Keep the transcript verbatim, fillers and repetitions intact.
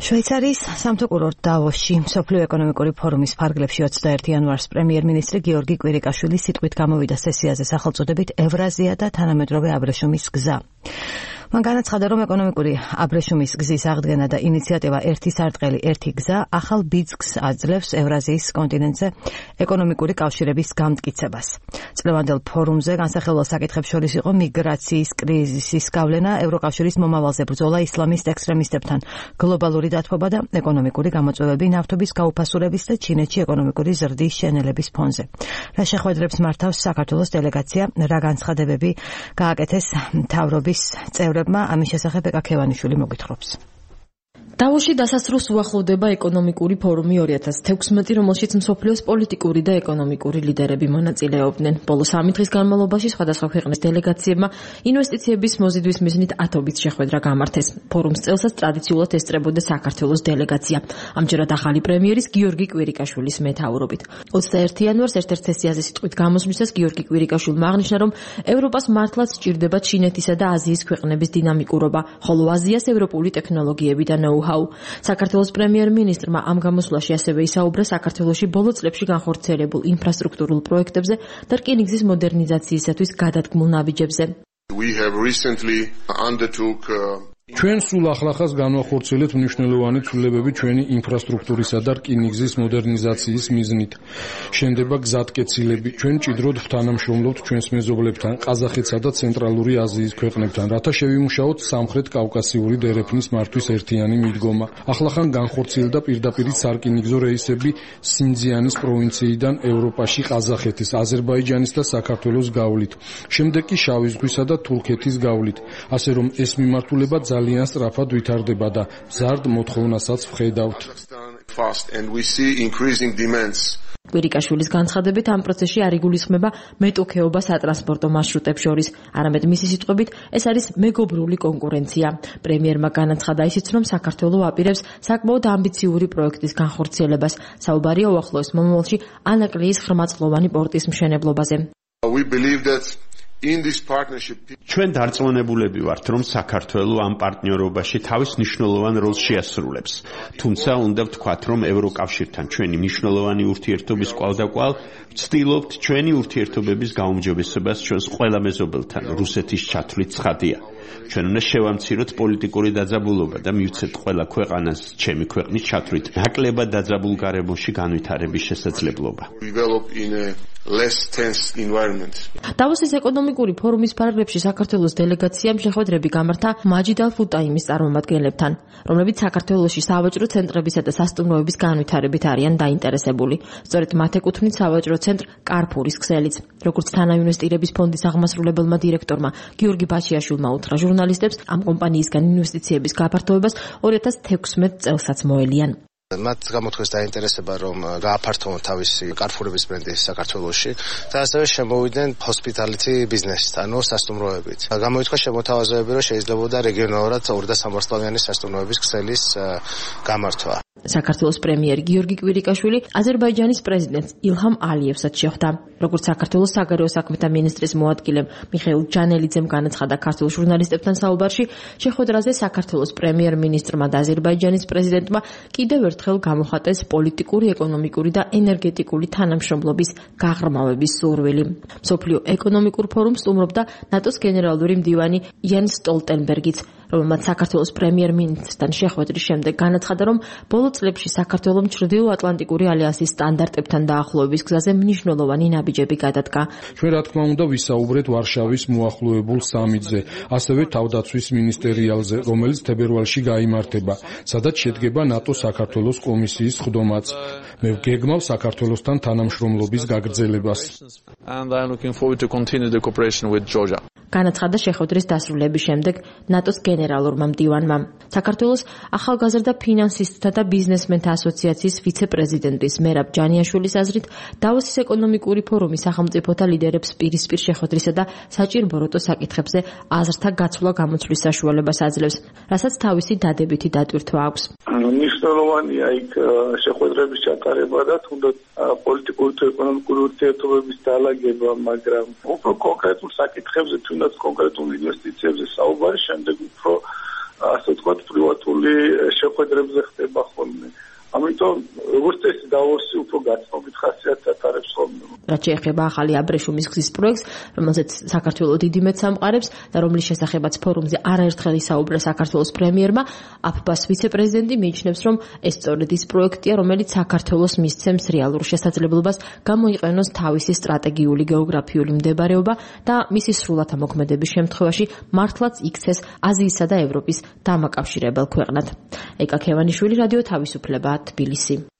შვეიცარიის სამთო კურორტ დავოსში მსოფლიო ეკონომიკური ფორუმის ფარგლებში ოცდაერთი იანვარს პრემიერ-მინისტრი გიორგი კვირიკაშვილი სიტყვით გამოვიდა სესიაზე სახელწოდებით ევრაზია და თანამედროვე აბრეშუმის გზა. მან განაცხადა, რომ ეკონომიკური აბრეშუმის გზის აღდგენა და ინიციატივა ერთი სარტყელი ერთი გზა ახალ ბიძგს აძლევს ევრაზიის კონტინენტზე ეკონომიკური კავშირების გამტკიცებას. წლევანდელ ფორუმზე განსახილველ საკითხებს შორის იყო მიგრაციის კრიზისის გავლენა, ევროკავშირის მომავალზე ბრძოლა ისლამისტ ექსტრემისტებთან, გლობალური დათბობა და ეკონომიკური გამოწვევები ნავთობის გაუფასურების და ჩინეთში ეკონომიკური ზრდის შენელების ფონზე. რა შეხვედრებს მართავს საქართველოს დელეგაცია, რა განცხადებები გააკეთეს მთავრობის წევრებმა, ამის შესახებ ეკა ქევანიშვილი მოგვითხრობს. დავოსში დასასრულს უახლოვდება ეკონომიკური ფორუმი ორი ათას თექვსმეტი, რომელშიც მსოფლიოს პოლიტიკური და ეკონომიკური ლიდერები მონაწილეობდნენ. ბოლო სამი დღის განმავლობაში სხვადასხვა ქვეყნის დელეგაციებმა ინვესტიციების მოზიდვის მიზნით ათობით შეხვედრა გამართეს. ფორუმს წელსაც ტრადიციულად ესწრებოდა საქართველოს დელეგაცია, ამჯერად ახალი პრემიერის გიორგი კვირიკაშვილის მეთაურობით. ოცდაერთი იანვარს ერთ-ერთ სესიაზე სიტყვით გამოსვლისას გიორგი კვირიკაშვილმა აღნიშნა, რომ ევროპას მართლაც სჭირდება ჩინეთისა და აზიის ქვეყნების დინამიკურობა, ხოლო აზიას ევროპული ტექნოლოგიები და ნოუ საქართველოს პრემიერ-მინისტრმა ამ გამოსვლაში ასევე ისაუბრა საქართველოში ბოლო წლებში განხორციელებულ ინფრასტრუქტურულ პროექტებზე და რკინიგზის მოდერნიზაციისათვის გადადგმულ ნაბიჯებზე. ჩვენ სულ ახლახას განვახორციელებთ მნიშვნელოვანი ცვლილებები ჩვენი ინფრასტრუქტურისა და რკინიგზის მოდერნიზაციის მიზნით. შენდება გზატკეცილები. ჩვენ ჭიდროდ ვთანამშრომლობთ ჩვენს მეზობლებთან, ყაზახეთსა და ცენტრალური აზიის ქვეყნებთან, რათა შევიმუშაოთ სამხრეთ კავკასიური დერეფნის მართვის ერთიანი მიდგომა. ახლახან განხორციელდა პირდაპირ სარკინიგზო რეისები სინძიანის პროვინციიდან ევროპაში ყაზახეთის, აზერბაიჯანის და საქართველოს გავლით. შემდეგ კი შავი ზღვისა და თურქეთის გავლით. ასე რომ ეს მიმართულება ძალიან სწრაფად ვითარდება და მზარდ მოთხოვნასაც ვხედავთ. კვირიკაშვილის განცხადებით ამ პროცესში არ იგულისხმება მეტოქეობა სატრანსპორტო მარშრუტებს შორის, არამედ მისი სიტყვებით ეს არის მეგობრული კონკურენცია. პრემიერმა განაცხადა ისიც, რომ საქართველო აპირებს საკმაოდ ამბიციური პროექტის განხორციელებას. საუბარია უახლოეს მომავალში ანაკლიის ხრმაწლოვანი პორტის მშენებლობაზე. ჩვენ დარწმუნებულები ვართ, რომ საქართველო ამ პარტნიორობაში თავის მნიშვნელოვან როლს შეასრულებს. თუმცა უნდა ვთქვათ, რომ ევროკავშირთან ჩვენი მნიშვნელოვანი ურთიერთობის კვალდაკვალ ვცდილობთ ჩვენი ურთიერთობების გაუმჯობესებას ჩვენს ყველა მეზობელთან, რუსეთის ჩათვლით ცხადია. ჩვენ უნდა შევამციროთ პოლიტიკური დაძაბულობა და მივცეთ ყველა ქვეყანას ჩემი ქვეყნის ჩათვლით ნაკლებად დაძაბულ გარემოში განვითარების შესაძლებლობა. დავოსის ეკონომიკური ფორუმის ფარგლებში საქართველოს დელეგაციამ შეხვედრები გამართა მაჯიდ ალ-ფუტაიმის წარმომადგენლებთან, რომლებიც საქართველოში სავაჭრო ცენტრებისა და სასტუმროების განვითარებით არიან დაინტერესებული. სწორედ მათ ეკუთვნით სავაჭრო ცენტრ კარფურის ქსელიც. როგორც თანაინვესტირების ფონდის აღმასრულებელმა დირექტორმა გიორგი ბაჩიაშვილმა უთხრა ჟურნალისტებს, ამ კომპანიისგან ინვესტიციების გაფართოებას ორი ათას თექვსმეტ წელსაც მოელიან. მათ გამოთქვეს დაინტერესება, რომ გააფართოვონ თავისი კარფურების ბრენდი საქართველოში და ასევე შემოვიდნენ ჰოსპიტალიტი ბიზნესით, ანუ სასტუმროებით. გამოითქვა შემოთავაზებები, რომ შეიძლებოდა რეგიონალურად ორი და სამვარსკვლავიანი სასტუმროების ქსელის გამართვა. საქართველოს პრემიერი გიორგი კვირიკაშვილი აზერბაიჯანის პრეზიდენტს ილჰამ ალიევსაც შეხვდა. როგორც საქართველოს საგარეო საქმეთა მინისტრის მოადგილე მიხეილ ჯანელიძემ განაცხადა ქართულ ჟურნალისტებთან საუბარში, შეხვედრაზე საქართველოს პრემიერ-მინისტრმა და აზერბაიჯანის პრეზიდენტმა კიდევ ერთხელ გამოხატეს პოლიტიკური, ეკონომიკური და ენერგეტიკული თანამშრომლობის გაღრმავების სურვილი. მსოფლიო ეკონომიკურ ფორუმს სტუმრობდა ნატოს გენერალური მდივანი იენს სტოლტენბერგიც, რომელმაც საქართველოს პრემიერ-მინისტრთან შეხვედრის შემდეგ განაცხადა, რომ ბოლო წლებში საქართველომ ჩრდილო-ატლანტიკური ალიანსის სტანდარტებთან დაახლოების გზაზე მნიშვნელოვანი ნაბიჯები გადადგა. ჩვენ რა თქმა უნდა ვისაუბრეთ ვარშავის მოახლოებულ სამიტზე, ასევე თავდაცვის მინისტერიალზე, რომელიც თებერვალში გაიმართება, სადაც შედგება ნატოს საქართველოს კომისიის სხდომაც. მე ვგეგმავ საქართველოსთან თანამშრომლობის გაგრძელებას. განაცხადა შეხვედრის დასრულების შემდეგ ნატოს გენერალურმა მდივანმა. საქართველოს ახალგაზრდა ფინანსისტთა და ბიზნესმენთა ასოციაციის ვიცე-პრეზიდენტის მერაბ ჯანიაშვილის აზრით, დავოსის ეკონომიკური ფორუმი სახელმწიფოთა ლიდერებს პირისპირ შეხვედრისა და საჭირბოროტო საკითხებზე აზრთა გაცვლა გამოცვლის საშუალებას აძლევს, რასაც თავისი დადებითი დატვირთვა აქვს. მნიშვნელოვანია იქ შეხვედრების ჩატარება და თუნდაც პოლიტიკური თუ ეკონომიკური ურთიერთობების დალაგება, მაგრამ უფრო კონკრეტულ საკითხებზე, თუნდაც კონკრეტულ ინვესტიციებზე საუბარი, შემდეგ უფრო ასე ვთქვათ, პრივატული შეხვედრებზე ხდება ხოლმე. ამიტომ როგორც წესი დავოსი უფრო გაცნობით ხასიათს ატარებს ხოლმე. რაც შეეხება ახალი აბრეშუმის გზის პროექტს, რომელზეც საქართველოს დიდი მეც ამყარებს და რომლის შესახებაც ფორუმზე არაერთხელ ისაუბრა საქართველოს პრემიერმა, აფბას ვიცე-პრეზიდენტი მიიჩნევს, რომ ეს სწორედ ის პროექტია, რომელიც საქართველოს მისცემს რეალურ შესაძლებლობას გამოიყენოს თავისი სტრატეგიული გეოგრაფიული მდებარეობა და მისი სრულად ამოქმედების შემთხვევაში მართლაც იქცეს აზიისა და ევროპის დამაკავშირებელ ქვეყნად. ეკა ქევანიშვილი, რადიო თავისუფლება, თბილისი.